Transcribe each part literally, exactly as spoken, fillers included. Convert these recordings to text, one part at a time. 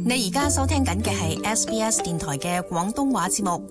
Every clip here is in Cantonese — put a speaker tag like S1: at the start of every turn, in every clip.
S1: 你而家收聽緊嘅係 S B S 電台嘅廣東話節目。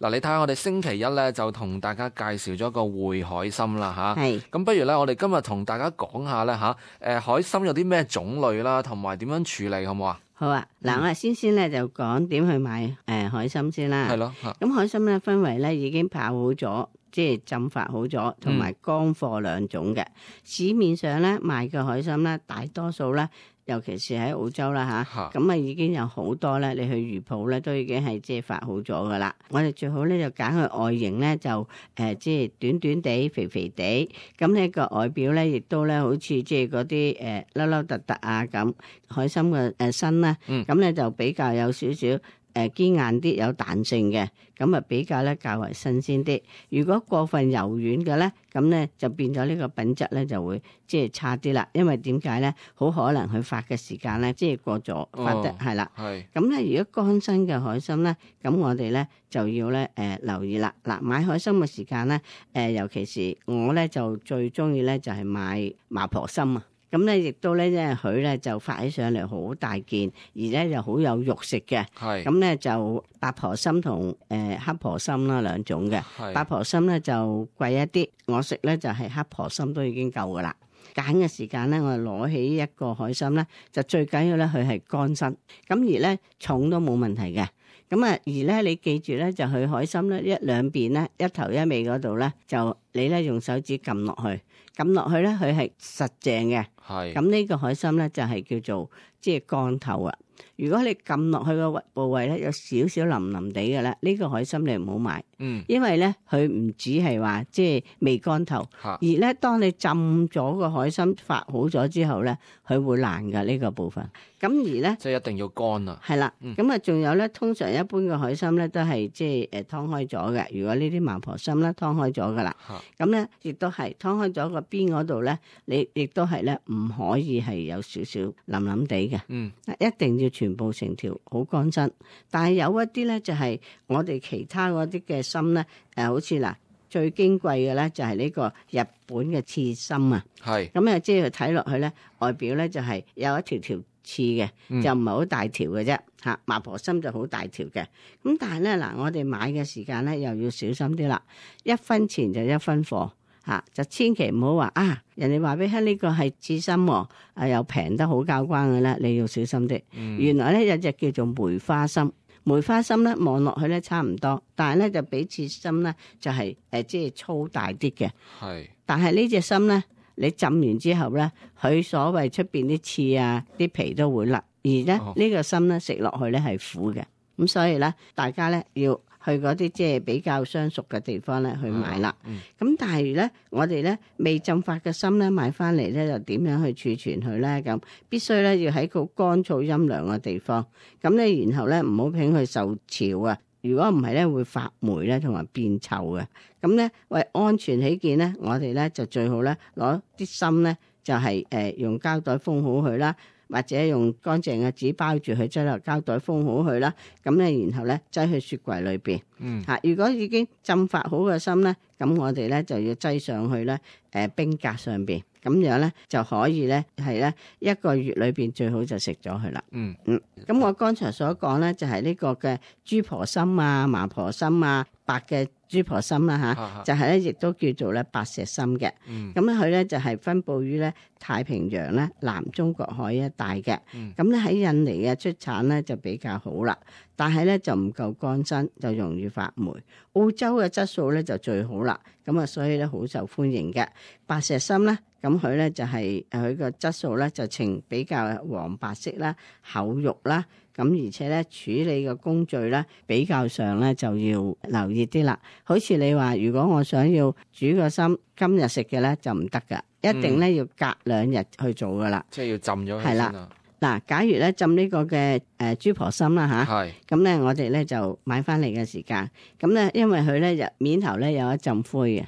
S2: 嗱，你睇下我哋星期一咧就同大家介紹咗個匯海參啦吓，
S3: 係
S2: 咁不如咧我哋今日同大家講下咧吓，誒海參有啲咩種類啦，同埋點樣處理好唔好啊？
S3: 好啊，嗱、嗯，我哋先先咧就講點去買誒、呃、海參先啦。
S2: 係咯，
S3: 咁海參咧分為咧已經泡好咗，即係浸發好咗，同埋乾貨兩種嘅。嗯、市面上咧賣嘅海參咧，大多數咧，尤其是喺澳洲啦吓，咁啊已經有好多咧，你去魚鋪咧都已經係即係發好咗噶啦。我哋最好咧就揀佢外形咧就誒即係短短地、肥肥地，咁呢個外表咧亦都咧好似即係嗰啲誒凹凹凸凸啊咁。海參嘅誒身咧，咁咧、嗯、就比較有少少誒堅硬啲，有彈性嘅，咁啊比較咧較為新鮮啲。如果過分柔軟嘅咧，咁咧就變咗呢個品質咧就會即係差啲啦。因為點解咧？好可能佢發嘅時間咧即係過咗發得係啦。係咁咧，如果乾身嘅海參咧，咁我哋咧就要咧誒、呃、留意啦。嗱，買海參嘅時間咧，誒、呃、尤其是我咧就最中意咧就係、是、買麻婆參啊。咁咧，亦都咧，即係佢咧就發起上嚟好大件，而咧又好有肉食嘅。係咁咧，就八婆參同誒黑婆參啦兩種嘅。係八婆參咧就貴一啲，我食咧就係黑婆參都已經夠噶啦。揀嘅時間咧，我攞起一個海參咧，就最緊要咧佢係乾身，咁而咧重都冇問題嘅。咁啊，而咧你記住咧，就去海參咧一兩邊咧一頭一尾嗰度咧，就你咧用手指撳落去，撳落去咧佢係實淨嘅。係咁呢個海參咧就係、是、叫做即係乾透啊。如果你撳落去個部位咧有少少腍腍地嘅咧，呢、這個海參你唔好買。嗯，因為咧佢唔止係話即係未乾透，而咧當你浸咗個海參發好咗之後咧，佢會爛噶呢個部分。咁而咧
S2: 即係一定要乾啊。係
S3: 啦，咁啊仲有咧，通常一般嘅海參咧都係即係誒劏開咗嘅。如果呢啲麻婆參咧劏開咗噶啦，咁咧亦都係劏開咗個邊嗰度咧，你亦都係咧唔可以係有少少腍腍地嘅。嗯，一定要全部成條好乾身。但係有一啲咧就係我哋其他嗰啲嘅參咧，誒好似嗱最矜貴嘅咧就係呢個日本嘅刺參啊。係咁啊，即係睇落去咧，外表咧就係有一條條刺嘅，就唔係好大條嘅啫。嚇，麻婆參就好大條嘅。咁但係咧嗱，我哋買嘅時間咧又要小心啲啦。一分錢就一分貨。吓，就千祈唔好話啊！人哋話俾你聽呢個係刺參，啊又平得好交關嘅咧，你要小心啲。嗯、原來咧有隻叫做梅花參，梅花參咧望落去咧差唔多，但係咧就比刺參咧就係、是、誒、呃、即係粗大啲嘅。係是，但係呢隻參咧，你浸完之後咧，佢所謂出邊啲刺啊、啲皮都會甩，而咧呢、哦、個參咧食落去咧係苦嘅，咁所以咧大家咧要去嗰啲即係比較相熟嘅地方咧去買啦。咁、嗯嗯、但係咧，我哋咧未浸發嘅參咧買翻嚟咧，就點樣去儲存佢咧？咁必須咧要喺個乾燥陰涼嘅地方。咁咧，然後咧唔好俾佢受潮啊！如果唔係咧，會發霉咧，同埋變臭嘅。咁咧為安全起見咧，我哋咧就最好咧攞啲參咧就係、是、誒、呃、用膠袋封好佢啦。或者用乾淨嘅紙包住佢，擠落膠袋封好佢啦。咁咧，然後咧擠去雪櫃裏邊。嗯。嚇，如果已經浸發好嘅參咧，咁我哋咧就要擠上去咧，誒冰格上邊。咁樣咧就可以咧係咧一個月裏邊最好就食咗佢啦。嗯嗯。咁我剛才所講咧就係呢個嘅豬婆參啊、麻婆參啊、白嘅豬婆參啦嚇，就係咧亦都叫做咧白石參嘅。咁咧佢咧就係分佈於咧太平洋咧南中國海一帶嘅。咁咧喺印尼嘅出產咧就比較好啦，但係咧就唔夠乾身，就容易發霉。澳洲嘅質素咧就最好啦，咁啊所以咧好受歡迎嘅白石參咧。咁佢咧就係佢個質素咧就呈比較黃白色啦、厚肉啦，咁而且咧處理嘅工序咧比較上咧就要留意啲啦。好似你話，如果我想要煮個參今日食嘅咧就唔得噶，一定咧要隔兩日去做噶啦。即係要浸咗佢先啊。嗱，假如咧浸呢個嘅誒豬婆參啦吓，係咁咧我哋咧就買翻嚟嘅時間，咁咧因為佢咧入面頭咧有一浸灰嘅，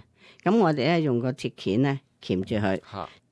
S3: 咁我哋咧用個鐵鉗咧。鉗住佢，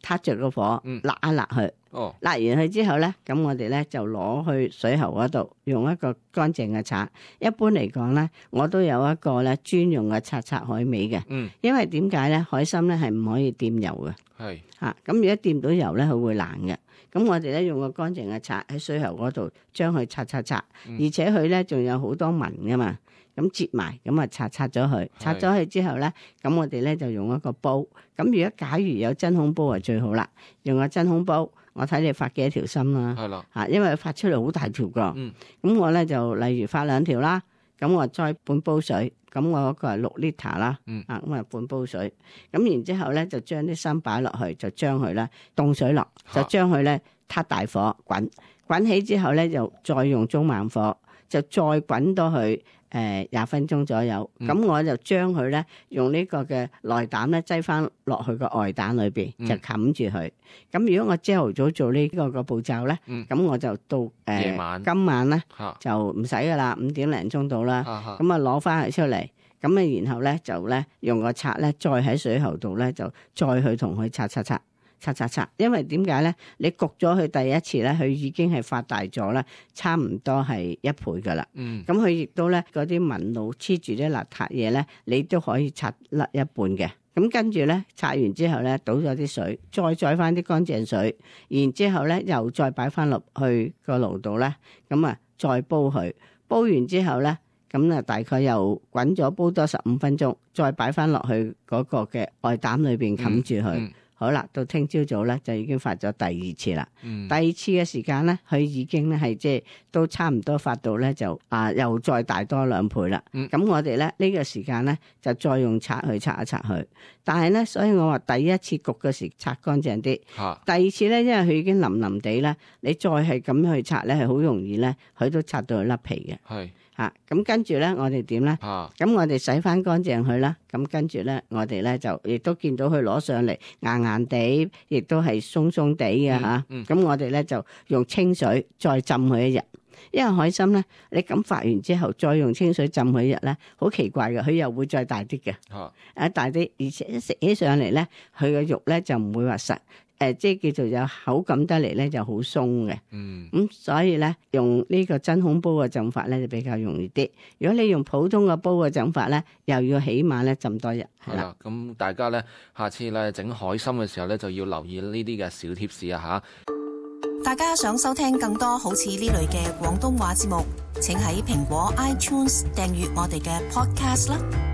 S3: 撻着個火，辣一辣佢。哦，辣完佢之後咧，咁我哋咧就攞去水喉嗰度，用一個乾淨嘅刷。一般嚟講咧，我都有一個咧專用嘅刷刷海味嘅。嗯，因為點解咧？海參咧係唔可以掂油嘅。
S2: 係
S3: 嚇。咁如果掂到油咧，佢會爛嘅。咁我哋咧用個乾淨嘅刷喺水喉嗰度將佢刷刷刷，
S2: 嗯、
S3: 而且佢咧仲有好多紋噶嘛。咁摺埋，咁啊擦擦咗佢，擦咗佢之後咧，咁我哋咧就用一個煲。咁如果假如有真空煲啊最好啦，用個真空煲，我睇你發幾多條芯啦。係啦，嚇，因為發出嚟好大條噶。嗯，咁我咧就例如發兩條啦，咁我再半煲水，咁我嗰個係六 litre 啦。嗯，啊咁啊半煲水，咁然之後咧就將啲芯擺落去，就將佢咧凍水落，就將佢咧撻大火滾，滾起之後咧就再用中慢火，就再滾到去。誒廿分鐘左右，咁、嗯、我就將佢咧用呢個嘅內膽咧擠翻落去個外膽裏邊，就冚住佢。咁、嗯、如果我朝頭早做呢個個步驟咧，咁、嗯、我就到誒、呃、晚今晚咧就唔使噶啦，五點零鐘到啦。咁啊攞翻佢出嚟，咁啊然後咧就咧用個刷咧再喺水喉度咧就再去同佢刷刷刷。刷刷刷，因為點解咧？你焗咗佢第一次咧，佢已經係發大咗啦，差唔多係一倍噶啦。嗯，咁佢亦都咧嗰啲紋路黐住啲邋遢嘢咧，你都可以刷甩一半嘅。咁跟住咧刷完之後咧，倒咗啲水，再載翻啲乾淨水，然之後咧又再擺翻落去個爐度咧，咁啊再煲佢，煲完之後咧，咁啊大概又滾咗煲多十五分鐘，再擺翻落去嗰個嘅外膽裏邊冚住佢。嗯嗯好啦，到聽朝早咧就已經發咗第二次啦。嗯、第二次嘅時間咧，佢已經咧係即係都差唔多發到咧就啊又再大多兩倍啦。咁、嗯、我哋咧呢、呢個時間咧就再用刷去刷一刷佢。但係咧，所以我話第一次焗嘅時刷乾淨啲。啊、第二次咧，因為佢已經腍腍地咧，你再係咁去刷咧係好容易咧，佢都刷到佢甩皮嘅。係。嚇，咁、啊、跟住咧，我哋點咧？咁、啊、我哋洗翻乾淨佢啦。咁跟住咧，我哋咧就亦都見到佢攞上嚟硬硬地，亦都係鬆鬆地嘅嚇。咁、嗯嗯啊、我哋咧就用清水再浸佢一日。因為海參咧，你咁發完之後，再用清水浸佢一日咧，好奇怪嘅，佢又會再大啲嘅。啊，啊大啲，而且一食起上嚟咧，佢嘅肉咧就唔會話實。誒、呃，即係叫做有口感得嚟咧，就好鬆嘅。嗯，咁、嗯、所以咧，用呢個真空煲嘅浸法咧，就比較容易啲。如果你用普通嘅煲嘅浸法咧，又要起碼咧浸多日。係啦，
S2: 咁大家咧，下次咧整海參嘅時候咧，就要留意呢啲嘅小貼士啊吓。
S1: 大家想收聽更多好似呢類嘅廣東話節目，請喺蘋果 iTunes 訂閱我哋嘅 Podcast 啦。